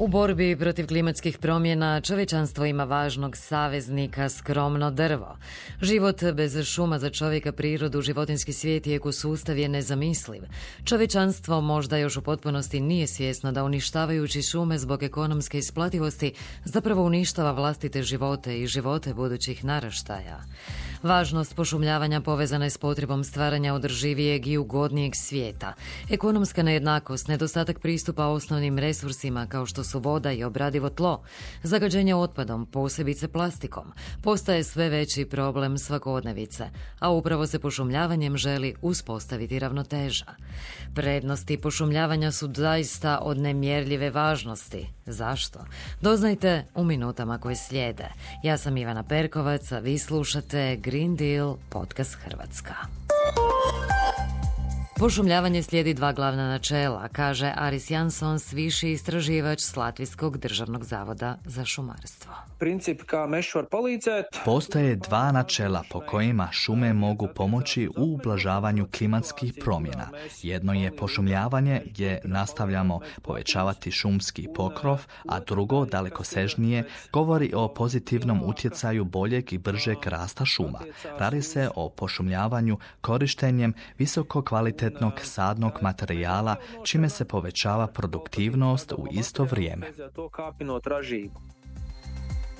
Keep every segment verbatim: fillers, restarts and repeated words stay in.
U borbi protiv klimatskih promjena čovječanstvo ima važnog saveznika, skromno drvo. Život bez šuma za čovjeka, prirodu, životinjski svijet i ekosustav je nezamisliv. Čovječanstvo možda još u potpunosti nije svjesno da uništavajući šume zbog ekonomske isplativosti zapravo uništava vlastite živote i živote budućih naraštaja. Važnost pošumljavanja povezana je s potrebom stvaranja održivijeg i ugodnijeg svijeta. Ekonomska nejednakost, nedostatak pristupa osnovnim resursima kao što su voda i obradivo tlo, zagađenje otpadom, posebice plastikom, postaje sve veći problem svakodnevice, a upravo se pošumljavanjem želi uspostaviti ravnoteža. Prednosti pošumljavanja su zaista od nemjerljive važnosti. Zašto? Doznajte u minutama koje slijede. Ja sam Ivana Perkovac, a vi slušate Green Deal, podcast Hrvatska. Pošumljavanje slijedi dva glavna načela, kaže Aris Jansons, viši istraživač s Latvijskog državnog zavoda za šumarstvo. Postoje dva načela po kojima šume mogu pomoći u ublažavanju klimatskih promjena. Jedno je pošumljavanje gdje nastavljamo povećavati šumski pokrov, a drugo, dalekosežnije, govori o pozitivnom utjecaju boljeg i bržeg rasta šuma. Radi se o pošumljavanju korištenjem visoko kvalitetnog sadnog materijala, čime se povećava produktivnost u isto vrijeme.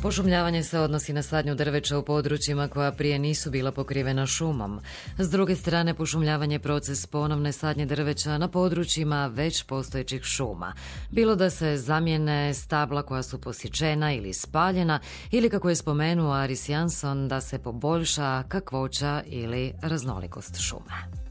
Pošumljavanje se odnosi na sadnju drveća u područjima koja prije nisu bila pokrivena šumom. S druge strane, pošumljavanje je proces ponovne sadnje drveća na područjima već postojećih šuma. Bilo da se zamijene stabla koja su posječena ili spaljena, ili kako je spomenuo Aris Janson, da se poboljša kakvoća ili raznolikost šume.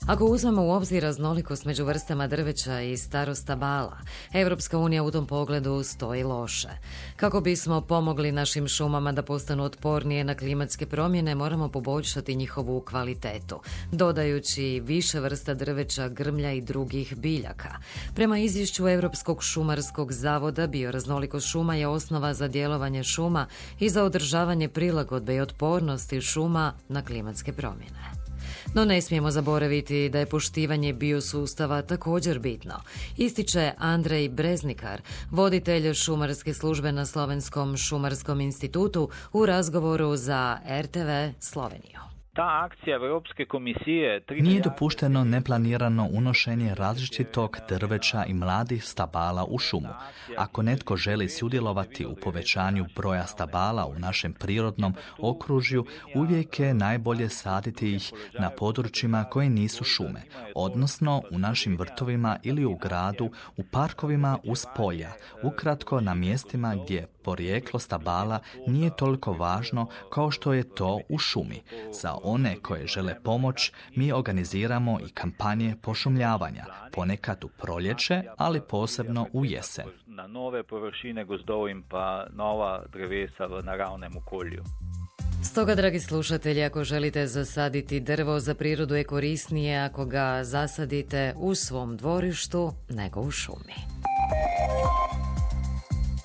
Ako uzmemo u obzir raznolikost među vrstama drveća i starost stabala, Europska unija u tom pogledu stoji loše. Kako bismo pomogli našim šumama da postanu otpornije na klimatske promjene, moramo poboljšati njihovu kvalitetu, dodajući više vrsta drveća, grmlja i drugih biljaka. Prema izvješću Europskog šumarskog zavoda, bioraznolikost šuma je osnova za djelovanje šuma i za održavanje prilagodbe i otpornosti šuma na klimatske promjene. No ne smijemo zaboraviti da je poštivanje biosustava također bitno, ističe Andrej Breznikar, voditelj šumarske službe na Slovenskom šumarskom institutu, u razgovoru za R T V Sloveniju. Ta akcija Europske komisije... Nije dopušteno neplanirano unošenje različitog drveća i mladih stabala u šumu. Ako netko želi sudjelovati u povećanju broja stabala u našem prirodnom okružju, uvijek je najbolje saditi ih na područjima koje nisu šume, odnosno u našim vrtovima ili u gradu, u parkovima uz polja, ukratko na mjestima gdje porijeklo stabala nije toliko važno kao što je to u šumi. Za one koje žele pomoć, mi organiziramo i kampanje pošumljavanja, ponekad u proljeće, ali posebno u jesen. Na nove površine gozdovim pa nova drevesa v naravnem okolju. Stoga, dragi slušatelji, ako želite zasaditi drvo, za prirodu je korisnije ako ga zasadite u svom dvorištu nego u šumi.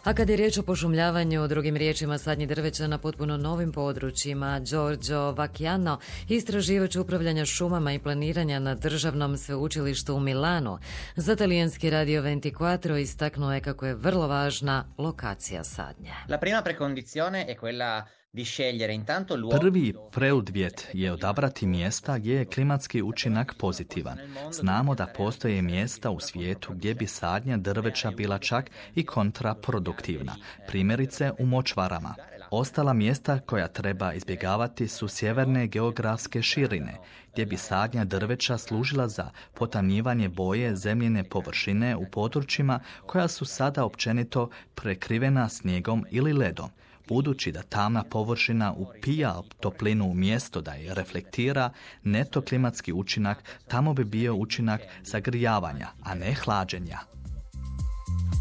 A kad je riječ o pošumljavanju, drugim riječima sadnji drveća na potpuno novim područjima, Giorgio Vacchiano, istraživač upravljanja šumama i planiranja na državnom sveučilištu u Milanu, za talijanski radio ventiquattro istaknuo je kako je vrlo važna lokacija sadnje. La prima precondizione è quella di scegliere intanto luoghi. Prvi preduvjet je odabrati mjesta gdje je klimatski učinak pozitivan. Znamo da postoje mjesta u svijetu gdje bi sadnja drveća bila čak i kontraproduktivna, primjerice u močvarama. Ostala mjesta koja treba izbjegavati su sjeverne geografske širine, gdje bi sadnja drveća služila za potamnjivanje boje zemljine površine u područjima koja su sada općenito prekrivena snijegom ili ledom. Budući da tamna površina upija toplinu umjesto da je reflektira, neto klimatski učinak tamo bi bio učinak zagrijavanja, a ne hlađenja.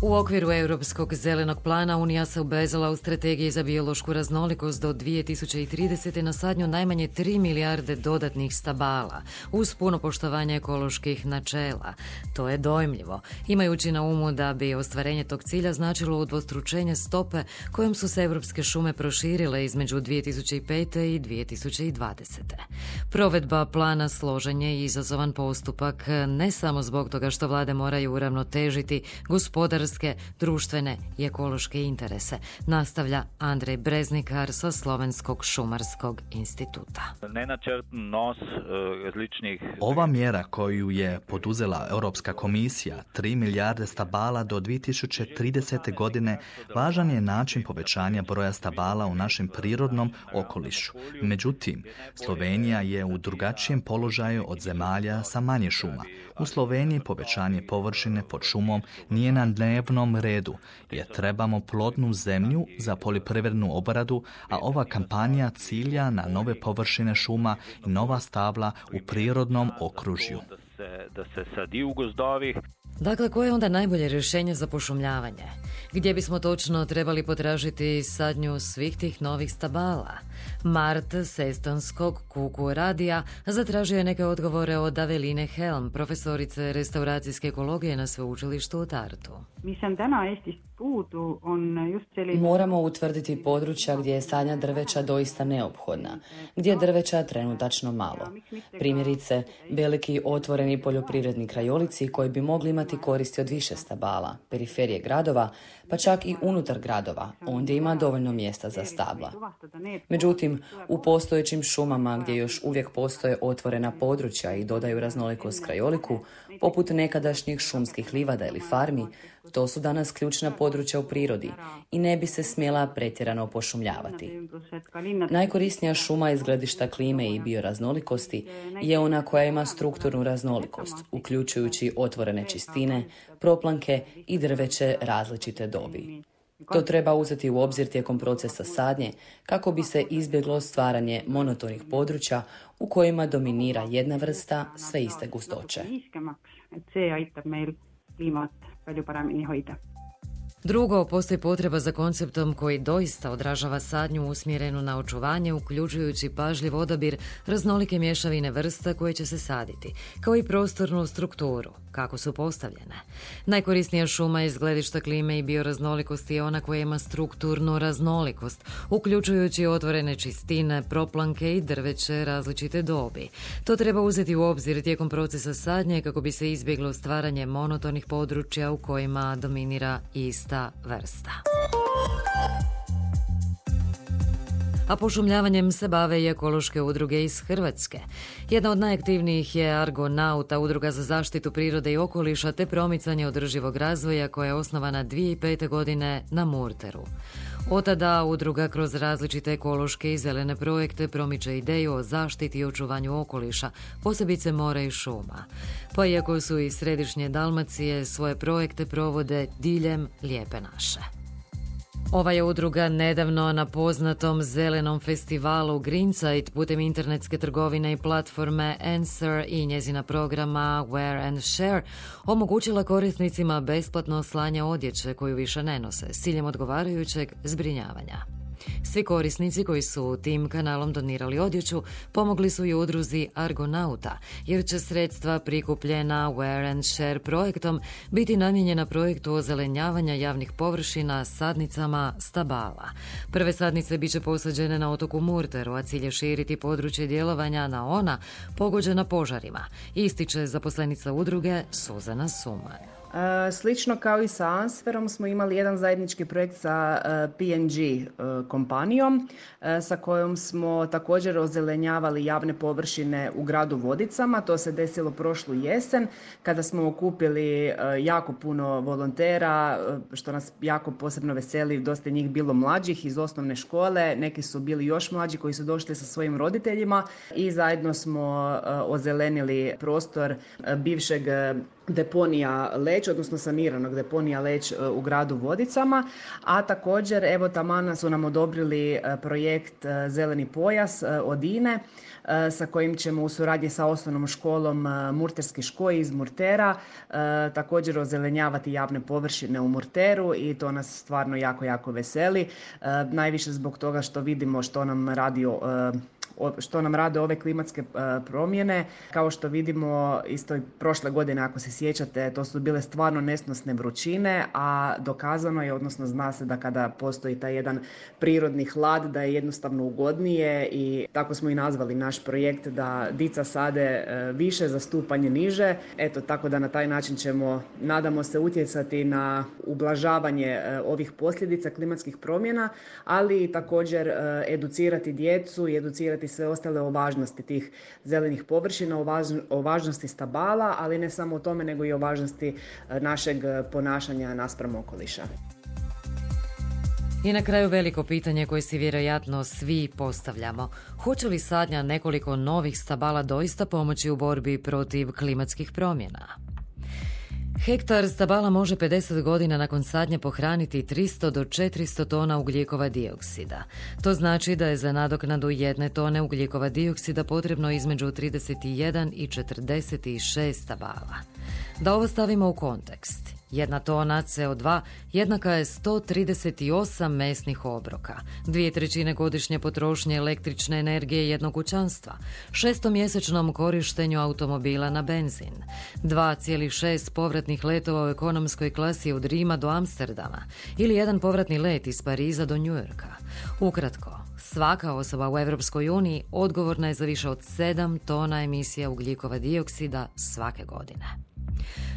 U okviru Europskog zelenog plana Unija se obvezala u strategiji za biološku raznolikost do dvije tisuće tridesete na sadnju najmanje tri milijarde dodatnih stabala, uz puno poštovanje ekoloških načela. To je dojmljivo, imajući na umu da bi ostvarenje tog cilja značilo udvostručenje stope kojom su se europske šume proširile između dvije tisuće pete i dvije tisuće dvadesete. Provedba plana složen je i izazovan postupak, ne samo zbog toga što vlade moraju uravnotežiti gospodarske, društvene i ekološke interese, nastavlja Andrej Breznikar sa Slovenskog šumarskog instituta. Nenačrten nos različnih... Ova mjera koju je poduzela Europska komisija, tri milijarde stabala do dvije tisuće tridesete godine, važan je način povećanja broja stabala u našem prirodnom okolišu. Međutim, Slovenija je u drugačijem položaju od zemalja sa manje šuma. U Sloveniji povećanje površine pod šumom nije na dnevnom redu, jer trebamo plodnu zemlju za poljoprivrednu obradu, a ova kampanja cilja na nove površine šuma i nova stabla u prirodnom okružju. Da se, da se sadi u gozdovih. Dakle, koje je onda najbolje rješenje za pošumljavanje? Gdje bismo točno trebali potražiti sadnju svih tih novih stabala? Mart s estonskog Kuku radija zatražio je neke odgovore od Aveline Helm, profesorice restauracijske ekologije na sveučilištu u Tartu. Moramo utvrditi područja gdje je sadnja drveća doista neophodna, gdje je drveća trenutačno malo. Primjerice, veliki otvoreni poljoprivredni krajolici koji bi mogli imati koristi od više stabala, periferije gradova, pa čak i unutar gradova, ondje ima dovoljno mjesta za stabla. Međutim, u postojećim šumama gdje još uvijek postoje otvorena područja i dodaju raznolikost krajoliku, poput nekadašnjih šumskih livada ili farmi, to su danas ključna područja u prirodi i ne bi se smjela pretjerano pošumljavati. Najkorisnija šuma iz gledišta klime i bioraznolikosti je ona koja ima strukturnu raznolikost, uključujući otvorene čistine, proplanke i drveće različite dobi. To treba uzeti u obzir tijekom procesa sadnje kako bi se izbjeglo stvaranje monotonih područja u kojima dominira jedna vrsta sve iste gustoće. Drugo, postoji potreba za konceptom koji doista odražava sadnju usmjerenu na očuvanje, uključujući pažljiv odabir raznolike mješavine vrsta koje će se saditi, kao i prostornu strukturu, kako su postavljene. Najkorisnija šuma iz gledišta klime i bioraznolikosti je ona koja ima strukturnu raznolikost, uključujući otvorene čistine, proplanke i drveće različite dobi. To treba uzeti u obzir tijekom procesa sadnje kako bi se izbjeglo stvaranje monotonih područja u kojima dominira ista vrsta. A pošumljavanjem se bave i ekološke udruge iz Hrvatske. Jedna od najaktivnijih je Argonauta, udruga za zaštitu prirode i okoliša te promicanje održivog razvoja koja je osnovana dvije tisuće pete. godine na Murteru. Od tada udruga kroz različite ekološke i zelene projekte promiče ideju o zaštiti i očuvanju okoliša, posebice mora i šuma. Pa iako su iz središnje Dalmacije, svoje projekte provode diljem Lijepe naše. Ova je udruga nedavno na poznatom zelenom festivalu Greenside putem internetske trgovine i platforme Answer i njezina programa Wear and Share omogućila korisnicima besplatno slanje odjeće koju više ne nose s ciljem odgovarajućeg zbrinjavanja. Svi korisnici koji su tim kanalom donirali odjeću pomogli su i udruzi Argonauta, jer će sredstva prikupljena Wear and Share projektom biti namijenjena projektu ozelenjavanja javnih površina sadnicama stabala. Prve sadnice biće posađene na otoku Murteru, a cilj je širiti područje djelovanja na ona pogođena požarima, ističe zaposlenica udruge Suzana Suman. Slično kao i sa Answerom smo imali jedan zajednički projekt sa P and G kompanijom sa kojom smo također ozelenjavali javne površine u gradu Vodicama. To se desilo prošlu jesen kada smo okupili jako puno volontera, što nas jako posebno veseli, dosta njih bilo mlađih iz osnovne škole, neki su bili još mlađi koji su došli sa svojim roditeljima i zajedno smo ozelenili prostor bivšeg deponija Lećevica Leć, odnosno saniranog deponija Leć u gradu Vodicama, a također evo taman su nam odobrili projekt Zeleni pojas od I N E sa kojim ćemo u suradnji sa osnovnom školom Murterski škoj iz Murtera također ozelenjavati javne površine u Murteru i to nas stvarno jako, jako veseli. Najviše zbog toga što vidimo što nam radi što nam rade ove klimatske promjene. Kao što vidimo isto i prošle godine, ako se sjećate, to su bile stvarno nesnosne vrućine, a dokazano je, odnosno zna se da kada postoji taj jedan prirodni hlad, da je jednostavno ugodnije i tako smo i nazvali naš projekt, da dica sade više za stupanje niže. Eto, tako da na taj način ćemo, nadamo se, utjecati na ublažavanje ovih posljedica klimatskih promjena, ali i također educirati djecu i educirati sve ostale o važnosti tih zelenih površina, o, važ, o važnosti stabala, ali ne samo o tome, nego i o važnosti našeg ponašanja naspram okoliša. I na kraju veliko pitanje koje si vjerojatno svi postavljamo. Hoće li sadnja nekoliko novih stabala doista pomoći u borbi protiv klimatskih promjena? Hektar stabala može pedeset godina nakon sadnje pohraniti tristo do četiristo tona ugljikova dioksida. To znači da je za nadoknadu jedne tone ugljikova dioksida potrebno između trideset jedan i četrdeset šest stabala. Da ovo stavimo u kontekst, jedna tona C O dva jednaka je sto trideset osam mesnih obroka, dvije trećine godišnje potrošnje električne energije jednog kućanstva, šestomjesečnom korištenju automobila na benzin, dva zarez šest povratnih letova u ekonomskoj klasi od Rima do Amsterdama ili jedan povratni let iz Pariza do Njujorka. Ukratko, svaka osoba u Europskoj uniji odgovorna je za više od sedam tona emisija ugljikova dioksida svake godine.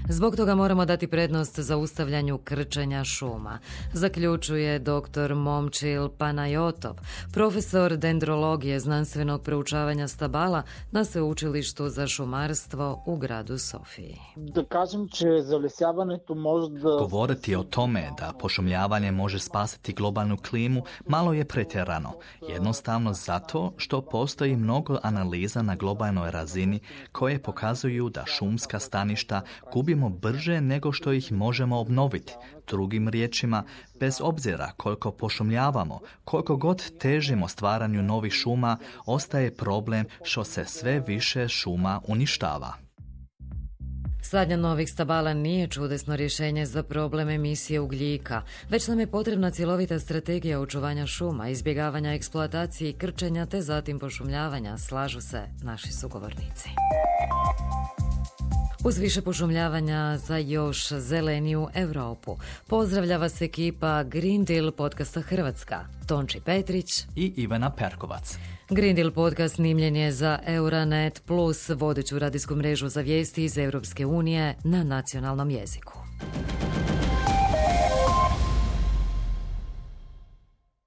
Zbog toga moramo dati prednost zaustavljanju krčenja šuma, zaključuje doktor Momčil Panajotov, profesor dendrologije znanstvenog proučavanja stabala na Sveučilištu za šumarstvo u gradu Sofiji. Da kažem, че залесяването може да... Govoriti o tome da pošumljavanje može spasiti globalnu klimu malo je pretjerano. Jednostavno zato što postoji mnogo analiza na globalnoj razini koje pokazuju da šumska staništa gubimo brže nego što ih možemo obnoviti. Drugim riječima, bez obzira koliko pošumljavamo, koliko god težimo stvaranju novih šuma, ostaje problem što se sve više šuma uništava. Sadnja novih stabala nije čudesno rješenje za problem emisije ugljika, već nam je potrebna cjelovita strategija očuvanja šuma, izbjegavanja eksploatacije i krčenja te zatim pošumljavanja, slažu se naši sugovornici. Uz više pošumljavanja za još zeleniju Europu pozdravlja vas ekipa Green Deal podcasta Hrvatska, Tonči Petrić i Ivana Perkovac. Green Deal podcast snimljen je za Euronet Plus, vodeću radijsku mrežu za vijesti iz Europske unije na nacionalnom jeziku.